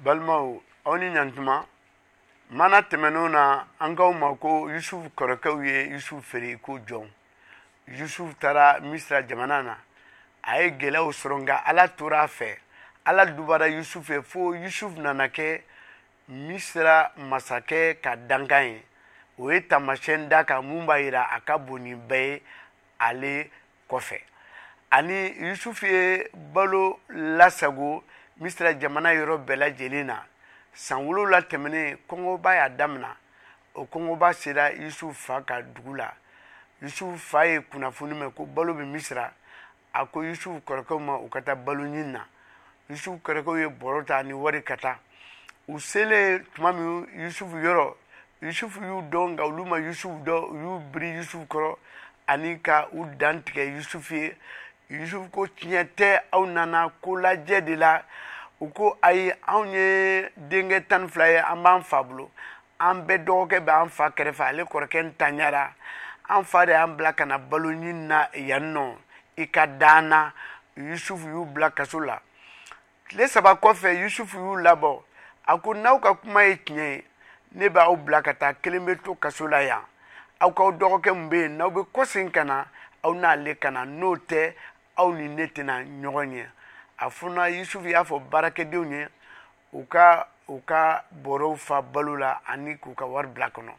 Balimaw, aw ni ɲantuma. Mana tɛmɛnenw na, an k'aw ma ko Yusufu kɔrɔkɛw ye Yusufu feere ko jɔn. Yusufu taara Misira jamana na, a ye gɛlɛyaw sɔrɔ, nka Ala tora a fɛ. Ala dubara Yusufu ye fo Yusufu nana kɛ Misira masakɛ ka dankan ye. O ye taamasiyɛn da kan mun b'a yira a ka bon ni bɛɛ ye ale kɔfɛ. Ani Yusufu ye balo lasago Misira jamana yɔrɔ bɛɛ lajɛlen na. San 7 tɛmɛnen, kɔngɔba y'a damina. O kɔngɔba sera Yusufu fa ka dugu la. Yusufu fa ye kunnafoni mɛn ko balo bɛ Misira. A ko Yusufu kɔrɔkɛw ma u ka taa balo ɲini na. Yusufu kɔrɔkɛw ye bɔrɔ ta ni wari ka taa. U selen tuma min Yusufu yɔrɔ, Yusufu y'u dɔn, nka olu ma Yusufu dɔn. U y'u biri Yusufu kɔrɔ ani ka u dan tigɛ Yusufu ye. Yusufu ko tiɲɛ tɛ, aw nana ko lajɛ de la. U ko ayi, anw ye denkɛ 12 ye, an b'an fa bolo, an bɛɛ dɔgɔkɛ bɛ an fa kɛrɛfɛ, ale kɔrɔkɛ ntanyara, an fa de y'an bila ka na balo ɲini na yan nɔ, i ka d'an na. Yusufu y'u bila kaso la. Tile 3 kɔfɛ, Yusufu y'u labɔ. A ko n'aw ka kuma ye tiɲɛ ye, ne b'aw bila ka taa, kelen bɛ to kaso la yan. Aw k'aw dɔgɔkɛ min bɛ yen, n'aw bɛ kɔsegin ka na, aw n'ale ka na, n'o tɛ aw ni ne tɛna ɲɔgɔn ye. A fɔna Yusufu y'a fɔ baarakɛdenw ye u ka bɔrɔw fa balo la ani k'u ka wari bila kɔnɔ.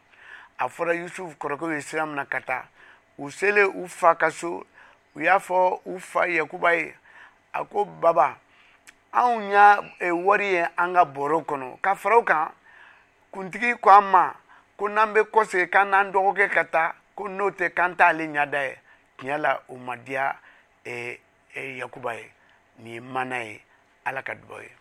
A fɔra Yusufu kɔrɔkɛw ye sira min na ka taa, u selen u fa ka so, u y'a fɔ u fa Yakuba ye, a ko baba, anw y'a wari ye an ka bɔrɔ kɔnɔ, ka fara o kan kuntigi ko an ma ko n'an bɛ kɔsegin k'an n'an dɔgɔkɛ ka taa, ko n'o tɛ k'an t'ale ɲɛda ye. Tiɲɛ la, o ma diya Yakuba ye. Nin ye mana ye. Ala ka dubaw ye.